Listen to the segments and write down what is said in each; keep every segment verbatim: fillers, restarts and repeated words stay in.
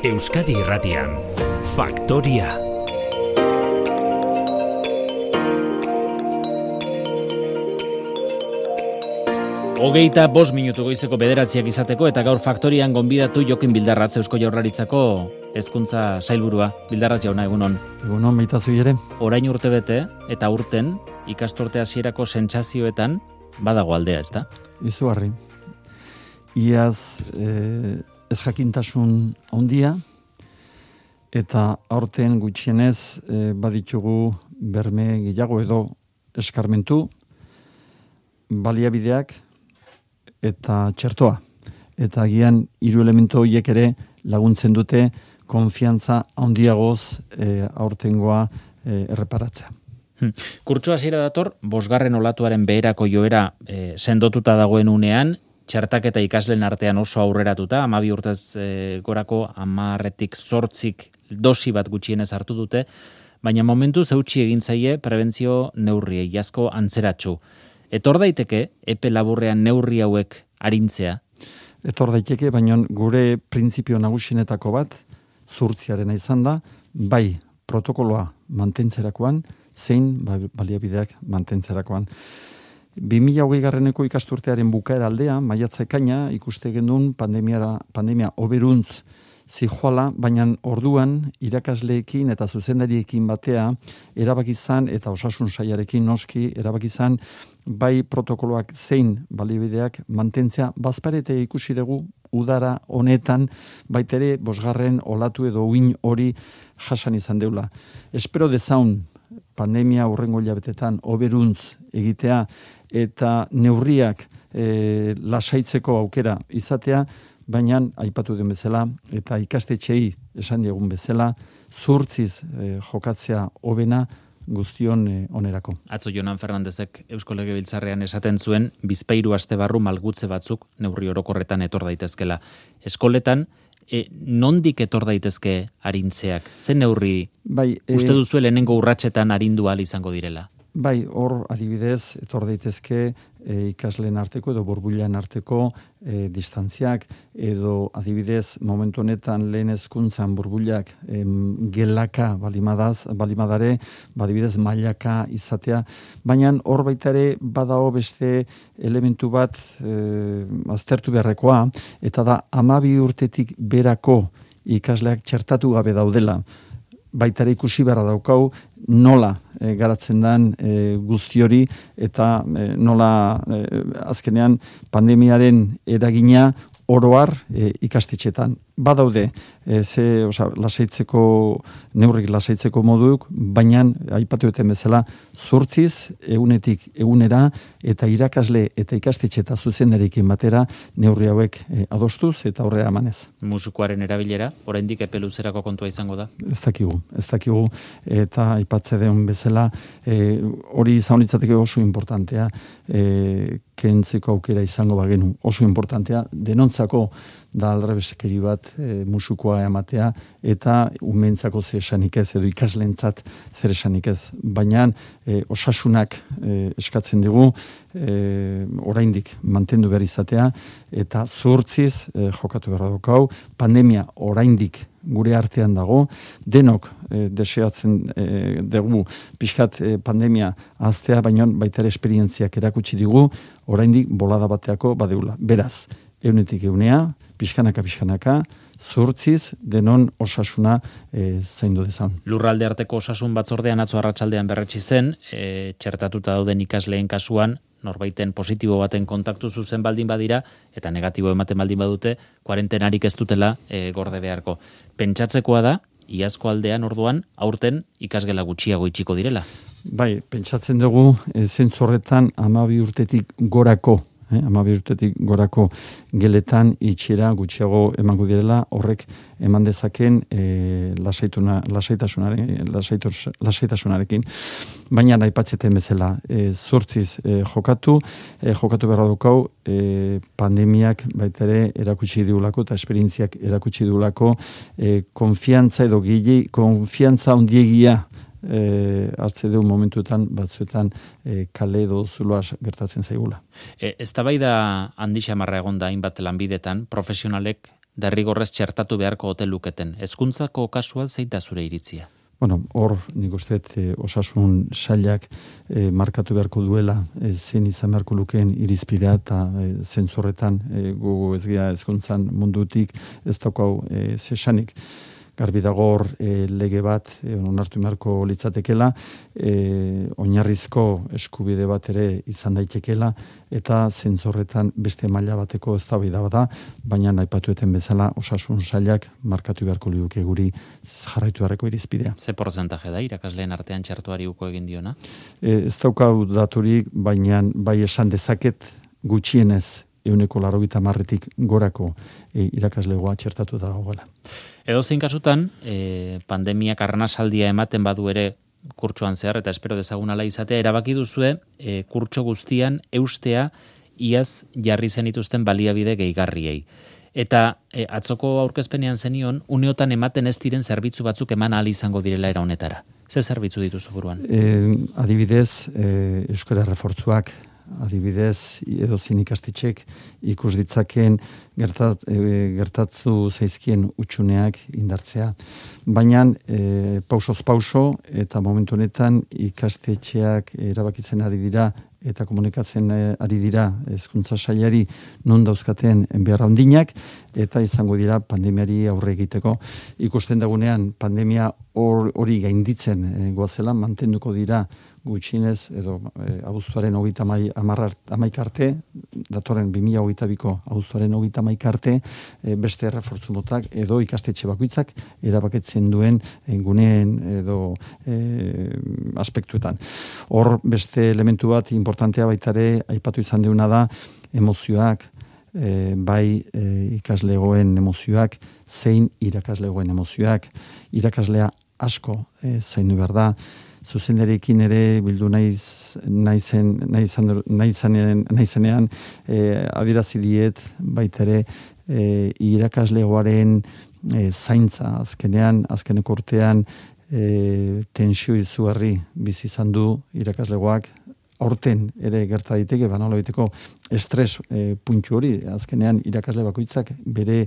Euskadi Irratian, Faktoria. Hogeita bost minutu goizeko bederatziak izateko eta gaur Faktorian gonbidatu Jokin Bildarratz Eusko Jaurlaritzako hezkuntza sailburua. Bildarratz jauna, egunon. Egunon, baitazu ere. Orain urtebete eta urten ikasturte hasierako sentsazioetan badago aldea, ezta? Izugarri. Iaz eh, ez jakintasun handia eta aurten gutxienez eh, baditugu berme gehiago edo eskarmentu, baliabideak eta txertoa. Eta agian hiru elementu horiek ere laguntzen dute konfiantza handiagoz e, aurtengoa e, erreparatzea. Hmm. Kurtso hasiera dator, bosgarren olatuaren beherako joera e, sendotuta dagoen unean, txertaketa ikasleen artean oso aurreratuta, hamabi urtez e, gorako hamarretik zortzik dosi bat gutxienez hartu dute, baina momentuz eutsi egin zaie prebentzio neurriei, asko antzeratsu. Etor daiteke, epe laburrean neurri hauek arintzea? Etor daiteke, baina gure printzipio nagusienetako bat, zurtziarena izan da, bai protokoloa mantentzerakoan, zein baliabideak mantentzerakoan. bi mila hogei garreneko ikasturtearen bukaera aldea, maiatza ekaina, ikuste genuen pandemia, pandemia oberuntz zijoala, baina orduan irakasleekin eta zuzendariekin batea erabakizan eta osasun sailarekin noski erabakizan bai protokoloak zein baliabideak mantentzea, bazparete ikusi dugu udara honetan baitere bosgarren olatu edo uin hori jasan izan deula. Espero dezaun pandemia hurrengo hilabetetan oberuntz egitea eta neurriak e, lasaitzeko aukera izatea, baina aipatu den bezala eta ikastetxeei esan diegun bezala, zurtziz e, jokatzea hobena guztion e, onerako. Atzo Jonan Fernandezek Eusko Legebiltzarrean esaten zuen, bizpahiru aste barru malgutze batzuk neurri orokorretan etor daitezkela. Eskoletan, e, nondik etor daitezke arintzeak? Ze neurri bai, e, uste duzu lehenengo urratsetan arindu ahal izango direla? Bai, hor adibidez, etor daitezke e, ikasleen arteko edo burbuilan arteko e, distantziak, edo adibidez momentu honetan lehen hezkuntzan burbuilak em, gelaka balimadaz, balimadare, adibidez mailaka izatea, baina hor baita ere badao beste elementu bat e, aztertu beharrekoa, eta da hamabi urtetik berako ikasleak txertatu gabe daudela. Baita ere ikusi beharra daukau nola e, garatzen den e, guzti hori eta e, nola e, azkenean pandemiaren eragina oroar e, ikastetxetan. Badaude, e, ze, oza, lasaitzeko, neurrik lasaitzeko moduk, baina, aipatu eten bezala, zurtziz, egunetik egunera, eta irakasle eta ikastetxe eta zuzendarekin batera, neurri hauek e, adostuz eta aurrera emanez. Musukoaren erabilera, oraindik epe luzerako kontua izango da? Ez dakigu, ez dakigu, eta aipatze den bezala, e, hori izan litzateke oso importantea, e, kentzeko aukera izango bagenu, oso importantea, denontzako da aldrebeskeri bat e, musukoa ematea eta umentzako zer esanik ez edo ikaslentzat zer esanik ez. Baina e, osasunak e, eskatzen digu e, oraindik mantendu behar izatea eta zuhurtziz e, jokatu behar daukau, pandemia oraindik gure artean dago, denok e, deseatzen e, dugu pixkat e, pandemia aztea, baina baita ere esperientziak erakutsi digu, oraindik bolada bateako badeula. Beraz, eunetik eunea, pixkanaka pixkanaka, zurtziz denon osasuna e, zaindu dezan. Lurralde arteko osasun batzordean atzo arratsaldean berretsi zen, e, txertatuta dauden ikasleen kasuan, norbaiten positibo baten kontaktu zuzen baldin badira, eta negatibo ematen baldin badute, kuarentenarik ez dutela e, gorde beharko. Pentsatzekoa da, iazko aldean orduan, aurten ikasgela gutxiago itxiko direla. Bai, pentsatzen dugu, e, zentzu horretan hamabi urtetik gorako, Eh, hamabi urtetik gorako geletan itxiera gutxiago emango direla, horrek eman dezaken e, lasaituna, lasaitasunaren, lasaitos, lasaitasunarekin. Baina aipatzeten bezala, e, zortziz e, jokatu, e, jokatu beharra dukau, e, pandemiak baita ere erakutsi diulako eta esperientziak erakutsi diulako e, konfiantza edo gile, konfiantza ondiegia E, hartze du momentuetan batzuetan e, kale edo zuloa gertatzen zaigula. E, eztabaida handi xamarra egon da hainbat lanbidetan, profesionalek derrigorrez txertatu beharko ote luketen. Hezkuntzako kasua zein da zure iritzia? Bueno, hor, nik uste e, osasun sailak e, markatu beharko duela e, zein izan beharko lukeen irizpidea eta e, zentzorretan e, gu ez gira hezkuntzan mundutik ez daukau e, zesanik. Garbi dago hor e, lege bat e, onartu beharko litzatekela, e, oinarrizko eskubide bat ere izan daitekela eta zentzorretan beste maila bateko eztabaida bada, baina aipatueten bezala osasun sailak markatu beharko liuke guri jarraitu beharreko irizpidea. Ze porcentaje da irakasleen artean txertuari uko egin diona? E, ez daukau daturik, baina bai esan dezaket gutxienez ehuneko laurogeita hamarretik gorako e, irakaslegoa txertatu da dagoela. Edo zein kasutan, e, pandemiak arnasaldia ematen badu ere kurtsoan zehar, eta espero dezagun ala izatea, erabaki duzue e, kurtso guztian eustea iaz jarri zenituzten baliabide gehigarriei. Eta e, atzoko aurkezpenean zenion, uneotan ematen ez diren zerbitzu batzuk eman ahal izango direla era honetara. Ze zerbitzu dituzu buruan? E, adibidez, e, euskara refortzuak, adibidez, edo zin ikastetxek ikus ditzaken gertat, e, gertatzu zaizkien utxuneak indartzea. Baina e, pausoz pauso eta momentu honetan ikastetxeak erabakitzen ari dira eta komunikatzen ari dira hezkuntza sailari non dauzkaten behar handinak eta izango dira pandemiari aurre egiteko. Ikusten dagunean pandemia hori or, gainditzen e, goazela, mantenduko dira gutxinez edo e, abuztuaren hogeita hamaika arte, datorren bi mila hogeita biko abuztuaren hogeita hamaika arte, e, beste errefortzu motak edo ikastetxe bakoitzak erabakitzen duen e, guneen edo e, aspektuetan. Hor beste elementu bat importantea baitare aipatu izan deuna da emozioak, e, bai e, ikaslegoen emozioak, zein irakaslegoen emozioak, irakaslea asko e, zaindu behar da, zuzendarekin ere bildu naiz naizen naizenean naizenean eh, adierazi diet baita ere eh, irakaslegoaren eh, zaintza azkenean azkeneko urtean eh, tensio izugarri bizi izan du irakaslegoak. Aurten ere gerta daiteke banola biteko estres e, puntu hori, azkenean irakasle bakoitzak bere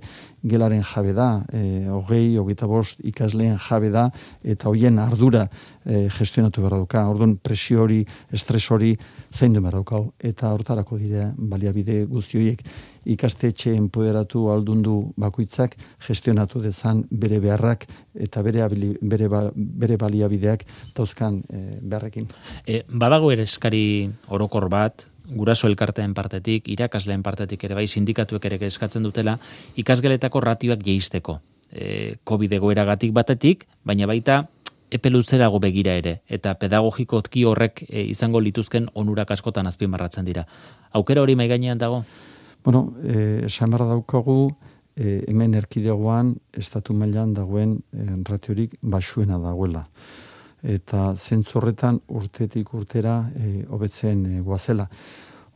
gelaren jabe da, e, hogei, hogeita bost ikasleen jabe da, eta hoien ardura e, gestionatu behar dauka. Orduan presio hori, estres hori zaindu behar daukau, eta hortarako dire baliabide guzti horiek ikastetxe enpoderatu aldundu bakoitzak gestionatu dezan bere beharrak eta bere, abili, bere, bere baliabideak dauzkan e, beharrekin. E, badago ere eskari orokor bat, guraso elkarteen partetik, irakasleen partetik ere bai, sindikatuek ere eskatzen dutela, ikasgeletako ratioak jeisteko. E, COVID egoeragatik batetik, baina baita epe luzerago begira ere, eta pedagogikotki horrek e, izango lituzken onurak askotan azpimarratzen dira. Aukera hori mai gainean dago? Bueno, eh, esan behar daukagu, eh, hemen erkidegoan estatu mailan dagoen eh, ratiorik basuena dagoela. Eta zentzorretan urtetik urtera eh, hobetzen eh, goazela.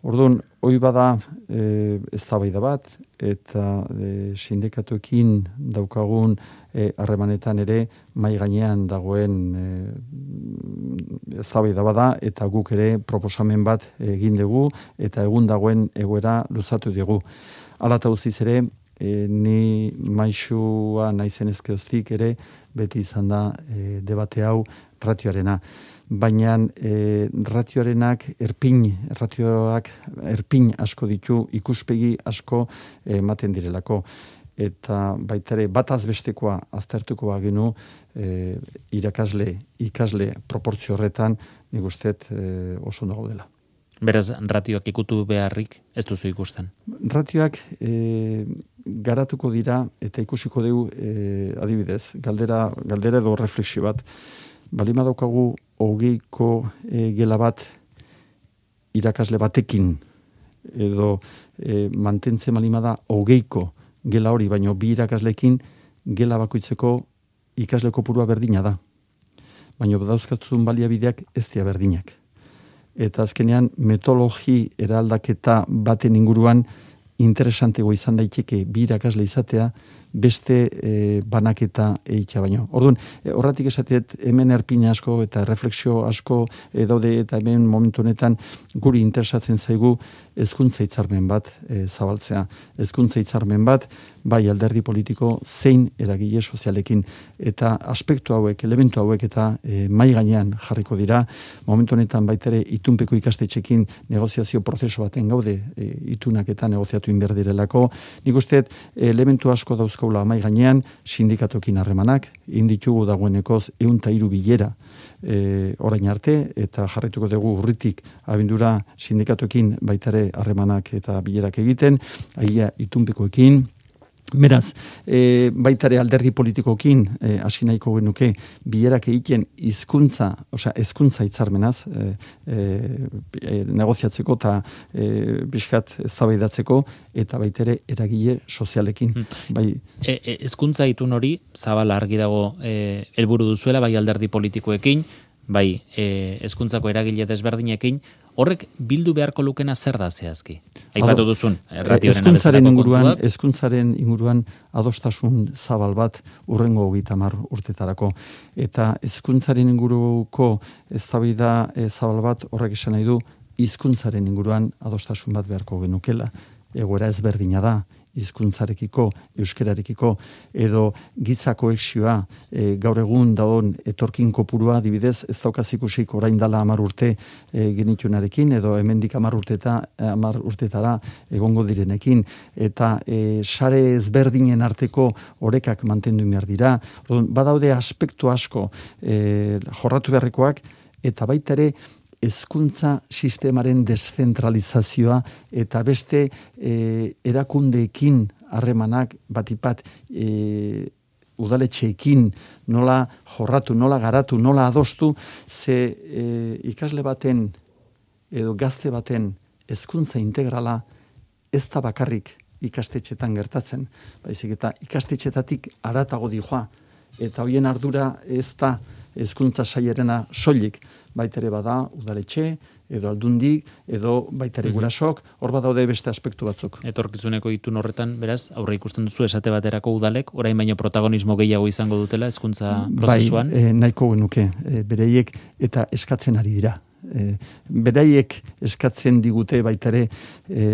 Orduan, hoi bada eh, eztabaida bat, eta eh, sindikatuekin daukagun harremanetan eh, ere mai gainean dagoen eh, eztabaida bada, eta guk ere proposamen bat egin dugu, eta egun dagoen egoera luzatu dugu. Hala eta guztiz ere, e, ni maixua naizen ezkeoztik ere, beti izan da e, debate hau ratioarena. Baina e, ratioarenak erpin, ratioak erpin asko ditu, ikuspegi asko ematen direlako. Eta baita ere bataz bestekoa aztertuko bagenu e, irakasle, ikasle proportzio horretan nik usteet e, oso nago dela. Beraz, ratioak ikutu beharrik ez duzu ikusten? Ratioak e, garatuko dira eta ikusiko dugu e, adibidez, galdera, galdera edo refleksio bat. Balima daukagu hogeiko e, gela bat irakasle batekin edo e, mantentzen balima da hogeiko gela hori, baino bi irakaslekin gela bakoitzeko ikasle kopurua berdina da. Baina dauzkatzun baliabideak ez dira berdinak. Eta azkenean metodologi eraldaketa baten inguruan interesantego izan daiteke bi irakasle izatea, beste e, banaketa egitea baino. Orduan, e, horratik esatet hemen erpina asko eta refleksio asko e, daude eta hemen momentu honetan guri interesatzen zaigu hezkuntza hitzarmen bat e, zabaltzea. Hezkuntza hitzarmen bat, bai alderdi politiko zein eragile sozialekin. Eta aspektu hauek, elementu hauek eta e, mai gainean jarriko dira. Momentu honetan baitere itunpeko ikastetxekin negoziazio prozesu baten gaude, e, itunak eta negoziatu inber direlako. Nik usteet elementu asko dauzko mai gainean, sindikatokin harremanak, inditugu dagoenekoz ehun eta hiru bilera e, orain arte, eta jarraituko dugu urritik abendura sindikatokin baitare harremanak eta bilerak egiten, aia itunpekoekin. Beraz, e, baitare alderdi politikokin e, hasi nahiko genuke bilerak egiten hizkuntza, osea hezkuntza hitzarmenaz e, e, negoziatzeko eta e, bizkat eztabaidatzeko eta baitere eragile sozialekin. Hmm. Bai, hezkuntza e, itun hori zabala argi dago e, helburu duzuela bai alderdi politikoekin, bai hezkuntzako e, eragile desberdinekin. Horrek bildu beharko lukena zer da zehazki? Aipatu duzun, erratioaren hezkuntzaren inguruan, hezkuntzaren inguruan adostasun zabal bat urrengo hogeita hamar urtetarako. Eta hezkuntzaren inguruko eztabaida e, zabal bat horrek esan nahi du hizkuntzaren inguruan adostasun bat beharko genukela. Egoera ezberdina da, hizkuntzarekiko, euskerarekiko, edo giza koexioa, e, gaur egun dagoen etorkin kopurua, adibidez, ez daukaz ikusik orain dala hamar urte e, genitunarekin, edo hemendik hamar urteta, hamar urtetara egongo direnekin, eta e, sare ezberdinen arteko orekak mantendu behar dira. Badaude aspektu asko e, jorratu beharrekoak, eta baita ere, hezkuntza sistemaren deszentralizazioa eta beste e, erakundeekin harremanak batipat e, udaletxeekin nola jorratu, nola garatu, nola adostu, ze e, ikasle baten edo gazte baten hezkuntza integrala ez da bakarrik ikastetxetan gertatzen, baizik eta ikastetxetatik haratago dijoa, eta hoien ardura ez da hezkuntza sailerena soilik, baitere bada udaletxe, edo aldundik, edo baitere gurasok, hor badaude beste aspektu batzuk. Etorkizuneko itun horretan, beraz, aurre ikusten duzu esate baterako udalek, orain baino protagonismo gehiago izango dutela hezkuntza prozesuan? Bai, e, nahiko genuke, e, bereiek eta eskatzen ari dira. E, beraiek eskatzen digute baitare e,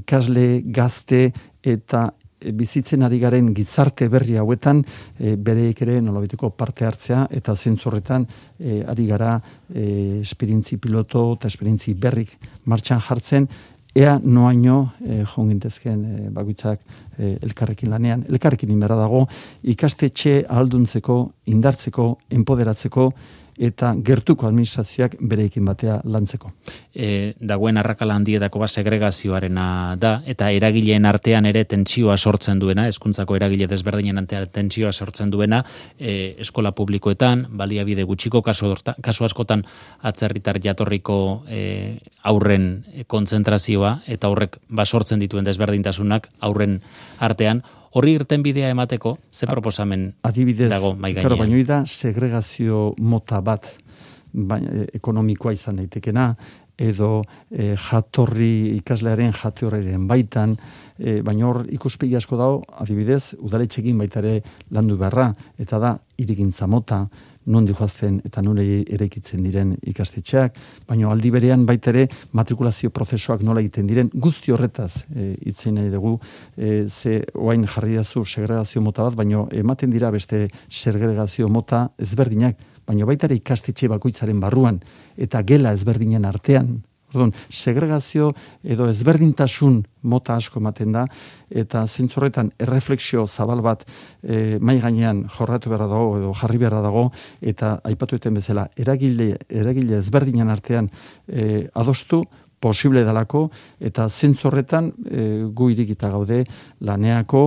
ikasle, gazte eta bizitzen ari garen gizarte berri hauetan e, bereik ere nolabiteko parte hartzea eta zentzorretan e, ari gara e, esperientzi piloto eta esperientzi berrik martxan jartzen, ea noaino e, jongintezken e, bakoitzak e, elkarrekin lanean. Elkarrekin inberra dago ikastetxe ahalduntzeko, indartzeko, enpoderatzeko eta gertuko administrazioak bereikin batea lantzeko. E, dagoen arrakala handietako bat segregazioarena da, eta eragileen artean ere tentsioa sortzen duena, hezkuntzako eragile desberdinen artean tentsioa sortzen duena, e, eskola publikoetan, baliabide gutxiko, kasu, kasu askotan atzerritar jatorriko e, aurren kontzentrazioa, eta horrek basortzen dituen desberdintasunak aurren artean. Horri irten bidea emateko, ze proposamen adibidez, dago mai gainean? Adibidez, baino da segregazio mota bat ba, ekonomikoa izan daitekena, edo e, jatorri, ikaslearen jatorriaren baitan, e, baina hor ikuspegi asko dago, adibidez, udaletxekin baita ere landu beharra, eta da irigintza mota, non dihoazten eta nola eraikitzen diren ikastetxeak, baina aldi berean baita ere matrikulazio prozesuak nola egiten diren, guzti horretaz e, itzen nahi dugu, e, ze oain jarri dazu segregazio mota bat, baina ematen dira beste segregazio mota ezberdinak, baina baita ere ikastetxe bakoitzaren barruan, eta gela ezberdinen artean. Orduan, segregazio edo ezberdintasun mota asko ematen da, eta zentzorretan erreflexio zabal bat e, mai gainean jorratu beharra dago edo jarri beharra dago, eta aipatu eten bezala, eragile, eragile ezberdinen artean e, adostu, posible dalako, eta zentzorretan e, gu irikita gaude laneako,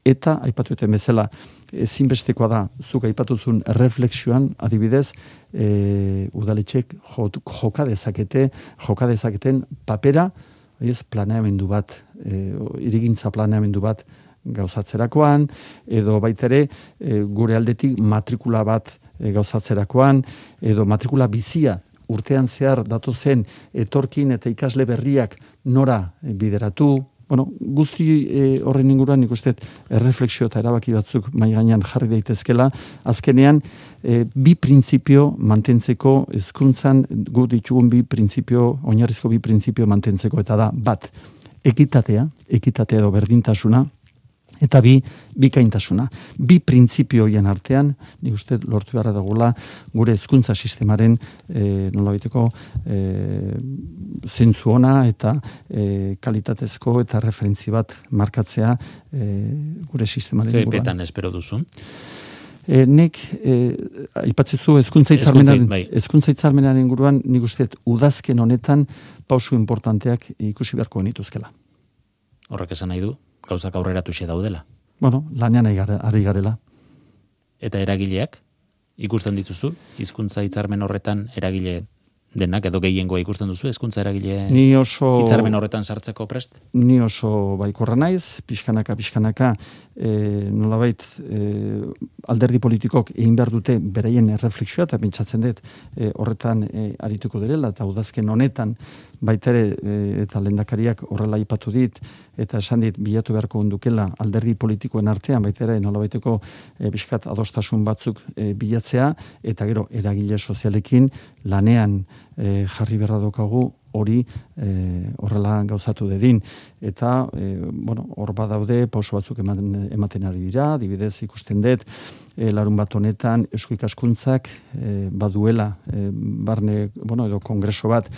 eta aipatu eten bezala, ezinbestekoa da, zuk aipatuzun reflexioan, adibidez, e, udaletxek joka dezakete, joka dezaketen papera, ez, planeamendu bat, e, irigintza planeamendu bat gauzatzerakoan, edo baitere e, gure aldetik matrikula bat e, gauzatzerakoan, edo matrikula bizia, urtean zehar datozen etorkin eta ikasle berriak nora bideratu, bueno, guzti e, horren inguruan nik uste erreflexio eta erabaki batzuk mai gainean jarri daitezkela, azkenean e, bi printzipio mantentzeko hezkuntzan gu ditugun bi printzipio, oinarrizko bi printzipio mantentzeko, eta da, bat, ekitatea, ekitatea edo berdintasuna, eta bi, bikaintasuna. Bi printzipio horien artean, nik uste lortu beharra dagoela gure hezkuntza sistemaren e, nolabaiteko e, zentzu ona eta e, kalitatezko eta referentzi bat markatzea e, gure sistemaren Ze inguruan. epetan espero duzu? E, nik, e, aipatzezu hezkuntza hitzarmenaren bai. hezkuntza hitzarmenaren inguruan, nik uste udazken honetan pausu importanteak ikusi beharko genituzkela. Horrek esan nahi du, gauzak aurreratuxe daudela. Bueno, lanean ari gare- ari garela. Eta eragileak, ikusten dituzu, hizkuntza hitzarmen horretan eragile denak, edo gehiengoa ikusten duzu, hezkuntza eragile Ni oso hitzarmen horretan sartzeko prest? Ni oso baikorra naiz, pixkanaka, pixkanaka, e, nolabait e, alderdi politikok egin behar dute beraien erreflexioa, eta pentsatzen dut e, horretan e, arituko direla, eta udazken honetan baita ere e, eta lehendakariak horrela aipatu dit, eta esan dit bilatu beharko ondukela alderdi politikoen artean, baita ere nolabaiteko e, pixkat adostasun batzuk e, bilatzea, eta gero eragile sozialekin lanean e, jarri beharra daukagu hori e, horrela gauzatu dedin. Eta, e, bueno, hor badaude pauso batzuk ematen, ematen ari dira, adibidez ikusten dut, e, larun bat honetan eusko ikaskuntzak e, baduela, e, barne, bueno, edo kongreso bat,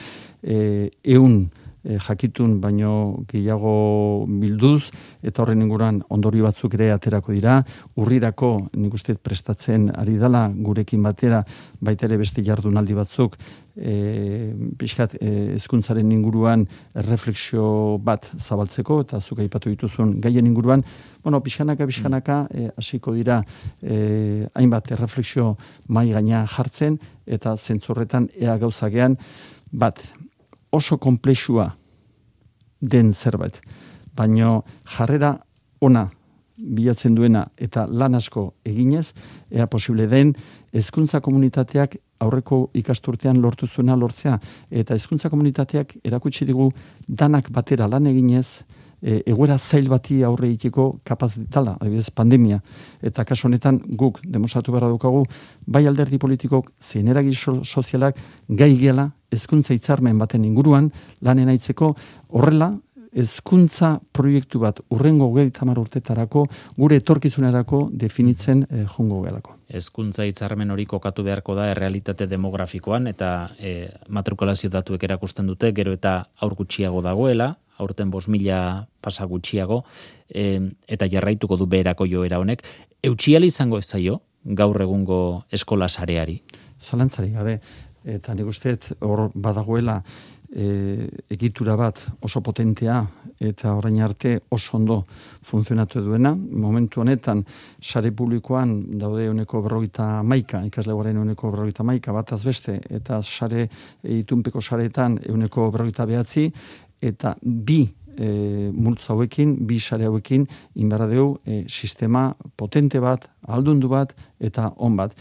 e, eun e, jakitun baino gehiago bilduz, eta horren inguruan ondorio batzuk ere aterako dira, urrirako nik uste prestatzen ari dela gurekin batera, baita ere beste jardunaldi batzuk, e, pixkat e, hezkuntzaren inguruan erreflexio bat zabaltzeko, eta zuk aipatu dituzun gaien inguruan, bueno, pixkanaka, pixkanaka, e, hasiko dira e, hainbat erreflexio mai gaina jartzen, eta zentzorretan ea gauzagean, bat, oso konplexua den zerbait, baino jarrera ona bilatzen duena eta lan asko eginez, ea posible den hezkuntza komunitateak aurreko ikasturtean lortu zuena lortzea, eta hezkuntza komunitateak erakutsi digu danak batera lan eginez, e, egoera zail bati aurre egiteko kapaz dela, adibidez pandemia, eta kasu honetan guk demostratu beharra daukagu, bai alderdi politikok zein eragile sozialak gai gela hezkuntza hitzarmen baten inguruan lanen aitzeko, horrela hezkuntza proiektu bat urrengo hogeita hamar urtetarako gure etorkizunerako definitzen eh, jongo gelako. Hezkuntza hitzarmen hori kokatu beharko da errealitate demografikoan, eta e, matrikulazio datuek erakusten dute, gero eta aur gutxiago dagoela, aurten bost mila pasa gutxiago, e, eta jarraituko du beherako joera honek. Eutxiali izango ez zaio gaur egungo eskola sareari? Zalantzari gabe, eta nik uste hor badagoela e, egitura bat oso potentea eta orain arte oso ondo funtzionatu duena. Momentu honetan sare publikoan daude ehuneko berrogeita hamaika, ikaslegoaren ehuneko berrogeita hamaika bataz beste, eta sare itunpeko sareetan ehuneko berrogeita bederatzi, eta bi e, multzo hauekin, bi sare hauekin inbarra dugu e, sistema potente bat, aldundu bat eta on bat.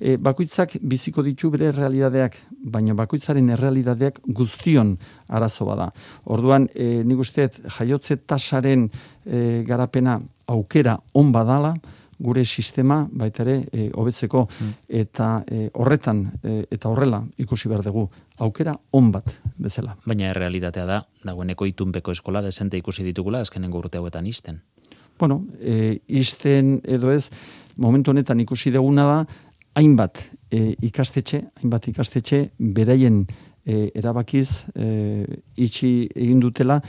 E, bakoitzak biziko ditu bere realidadeak, baina bakoitzaren errealidadeak guztion arazo bada. Orduan, e, nik usteet jaiotze tasaren e, garapena aukera on badala, gure sistema baita ere e, hobetzeko, mm. eta e, horretan e, eta horrela ikusi behar dugu aukera on bat bezala. Baina errealitatea da, dagoeneko itunpeko eskola desente ikusi ditugula azkenengo urte hauetan isten. Bueno, e, isten edo ez, momentu honetan ikusi duguna da, hainbat e, ikastetxe, hainbat ikastetxe beraien e, erabakiz e, itxi egin dutela,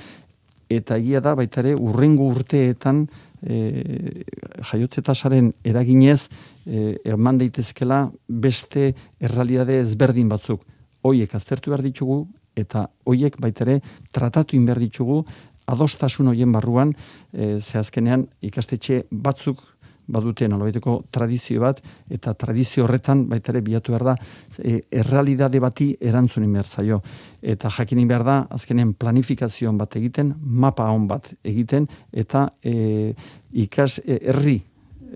eta egia da baita ere urrengo urteetan e, jaiotze tasaren eraginez e, eman daitezkela beste errealitate ezberdin batzuk. Hoiek aztertu behar ditugu eta hoiek baita ere tratatu in behar ditugu adostasun hoien barruan, e, ze azkenean ikastetxe batzuk badute nolabaiteko tradizio bat, eta tradizio horretan baita ere bilatu behar da e, errealitate bati erantzunin behar zaio. Eta jakinin behar da, azkenean planifikazioan bat egiten, mapa on bat egiten, eta e, ikas e, herri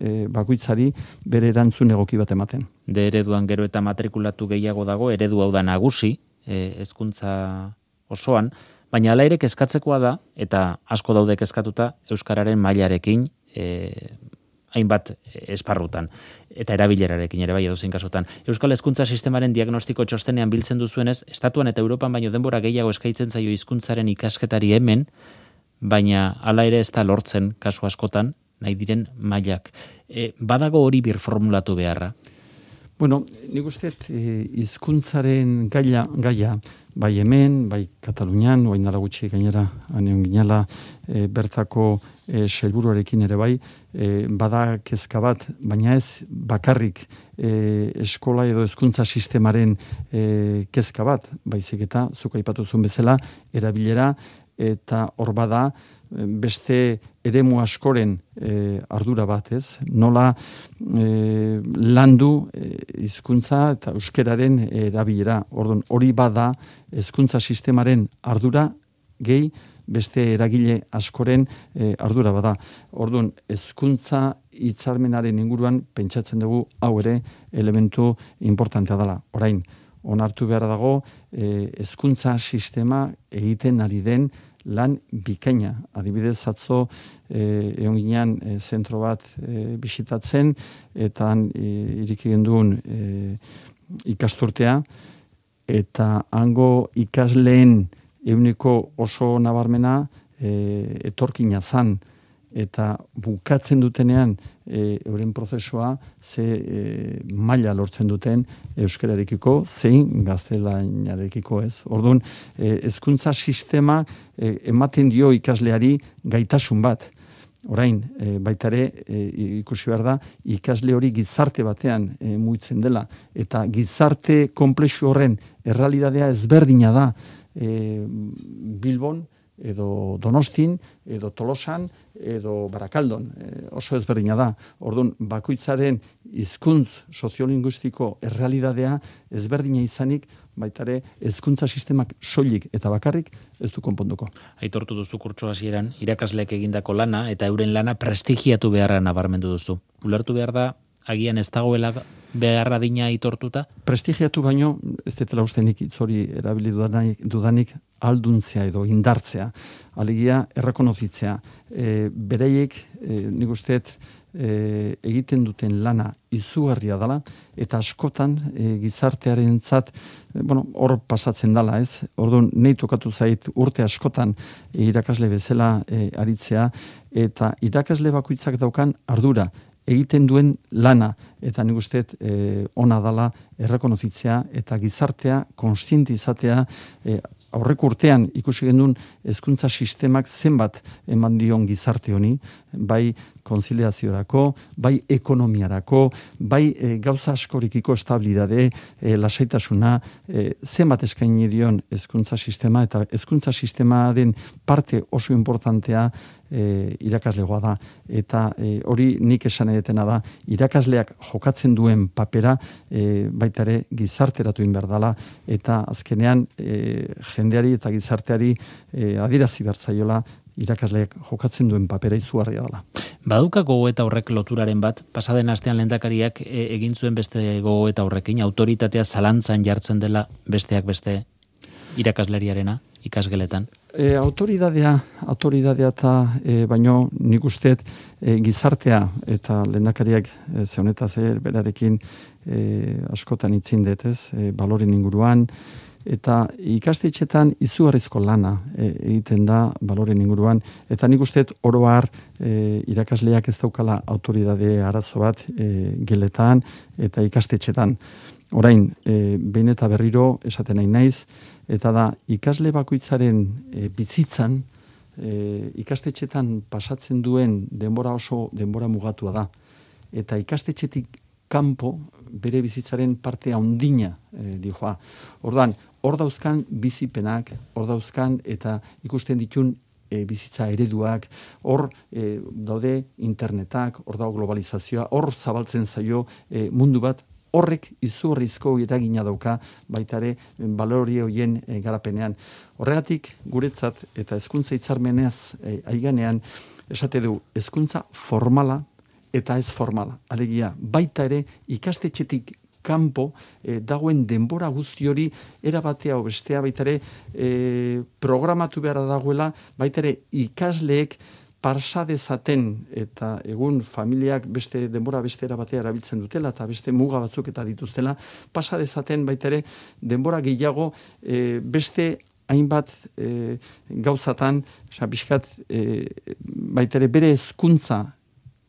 e, bakoitzari bere erantzun egoki bat ematen. De ereduan gero eta matrikulatu gehiago dago, eredu hau da nagusi, hezkuntza osoan, Baina hala ere kezkatzekoa da, eta asko daude kezkatuta, euskararen mailarekin e, hainbat esparrutan, eta erabilerarekin ere bai edozein kasutan. Euskal Hezkuntza Sistemaren diagnostiko txostenean biltzen duzuenez, estatuan eta Europan baino denbora gehiago eskaintzen zaio hizkuntzaren ikasketari hemen, baina hala ere ez da lortzen kasu askotan, nahi diren mailak. E, badago hori birformulatu beharra? Bueno, nik uste hizkuntzaren gaia, gaia, bai hemen, bai Katalunian, oain dala gutxi gainera, aneon ginala, e, bertako e, sailburuarekin ere bai, e, bada kezka bat, baina ez bakarrik e, eskola edo hezkuntza sistemaren e, kezka bat, baizik eta, zuk aipatu zuen bezala, erabilera, eta hor bada, beste eremu askoren e, ardura bat, ez? Nola e, landu hizkuntza e, eta euskeraren erabilera. Orduan, hori bada hezkuntza sistemaren ardura gehi beste eragile askoren e, ardura bada. Orduan, hezkuntza hitzarmenaren inguruan pentsatzen dugu hau ere elementu importantea dela. Orain, onartu behar dago hezkuntza sistema egiten ari den lan bikaina. Adibidez, atzo eh, egon ginean eh, zentro bat eh, bisitatzen, eta eh, iriki genduen eh, ikasturtea, eta hango ikasleen euniko oso nabarmena eh, etorkina zan, eta bukatzen dutenean e, euren prozesua ze e, maila lortzen duten euskararekiko, zein gaztelaniarekiko, ez. Orduan, e, hezkuntza sistema e, ematen dio ikasleari gaitasun bat. Orain, e, baita ere, e, ikusi behar da, ikasle hori gizarte batean e, muitzen dela, eta gizarte konplexu horren errealitatea ezberdina da e, Bilbon, edo Donostin, edo Tolosan, edo Barakaldon. E, oso ezberdina da. Orduan, bakoitzaren hizkuntz soziolinguistiko errealitatea ezberdina izanik, baita ere, hezkuntza sistemak soilik eta bakarrik ez du konponduko. Aitortu duzu kurtso hasieran, irakasleek egindako lana eta euren lana prestigiatu beharra nabarmendu duzu. Ulertu behar da, agian ez dagoela beharra dina aitortuta? Prestigiatu baino, ez detela ustenik itzori erabili dudanik, dudanik alduntzea edo indartzea. Alegia, errekonozitzea. E, bereiek, e, nik usteet, e, egiten duten lana izugarria dela, eta askotan e, gizartearen zat, e, bueno, hor pasatzen dela, ez? Orduan, nahi tokatu zait urte askotan e, irakasle bezala e, aritzea, eta irakasle bakoitzak daukan ardura, egiten duen lana, eta nik usteet e, ona dala errekonozitzea, eta gizartea konstienti izatea, e, aurreko urtean ikusi genuen hezkuntza sistemak zenbat eman dion gizarte honi, bai konziliaziorako, bai ekonomiarako, bai e, gauza askorikiko estabilidade, e, lasaitasuna, e, zenbat eskaini dion hezkuntza sistema, eta hezkuntza sistemaren parte oso importantea e, irakaslegoa da. Eta e, hori nik esan edetena da, irakasleak jokatzen duen papera e, baita ere gizarteratu behar dela, eta azkenean e, jendeari eta gizarteari e, adirazi bertzaiola irakasleak jokatzen duen papera izugarria dela. Baduka gogoeta horrek loturaren bat, pasaden astean lehendakariak e, egin zuen beste gogoeta horrekin, autoritatea zalantzan jartzen dela besteak beste irakasleriarena ikasgeletan? E, autoridadea, autoridadea eta e, baino nik usteet e, gizartea eta lehendakariak e, zeonetaz e, berarekin e, askotan itzin detez, e, baloren inguruan, eta ikastetxetan izugarrizko lana e, egiten da baloren inguruan, eta nik usteet oro har e, irakasleak ez daukala autoridade arazo bat e, geletan eta ikastetxetan. Orain, e, behin eta berriro esaten nahi naiz, eta da ikasle bakoitzaren e, bizitzan e, ikastetxetan pasatzen duen denbora oso denbora mugatua da. Eta ikastetxetik kanpo bere bizitzaren parte handina e, dijoa. Ordan, hor dauzkan bizipenak, hor dauzkan eta ikusten ditun e, bizitza ereduak, hor e, daude internetak, hor dago globalizazioa, hor zabaltzen zaio e, mundu bat, horrek izugarrizko eragina dauka baita ere balori horien e, garapenean. Horregatik guretzat eta hezkuntza hitzarmenez e, aiganean esate du hezkuntza formala eta ez formala. Alegia baita ere ikastetxetik kanpo e, dagoen denbora guzti hori erabatea o bestea baitare e, programatu beharra dagoela baitare ikasleek parsa dezaten eta egun familiak beste denbora beste era batea erabiltzen dutela eta beste muga batzuk eta dituztela pasa dezaten baita ere denbora gehiago e, beste hainbat e, gauzatan, osea bizkat e, baita ere bere hezkuntza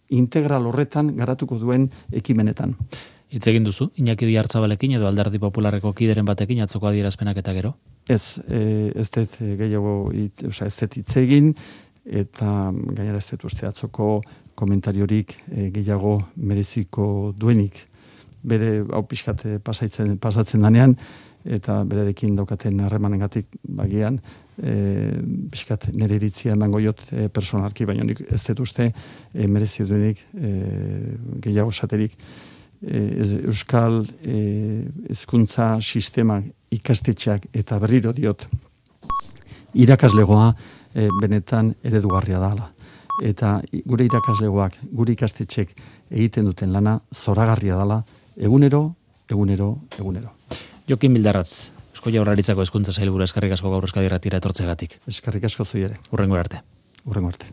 integral horretan garatuko duen ekimenetan. Hitz egin duzu Iñaki Oyarzabalekin edo Alderdi Popularreko kideren batekin atzoko adierazpenak eta gero? Ez, e, ez dut gehiago, osea ez dut hitz egin eta gainera ez dut uste atzoko komentariorik e, gehiago mereziko duenik bere hau pixkat pasatzen, pasatzen danean eta berarekin daukaten harremanengatik bagian e, pixkat nire iritzia emango jot e, personalki, baina nik ez dut uste e, merezi duenik e, gehiago saterik e, Euskal hezkuntza e, sistema ikastetxeak eta berriro diot irakaslegoa E, benetan eredugarria dala. Eta gure irakaslegoak, gure ikastetxek egiten duten lana zoragarria dala, egunero, egunero, egunero. Jokin Bildarratz, Eusko Jaurlaritzako hezkuntza sailburua, eskerrik asko gaur Euskadi Irratira etortzeagatik. Eskerrik asko zui ere. Hurrengo arte. Hurrengo arte.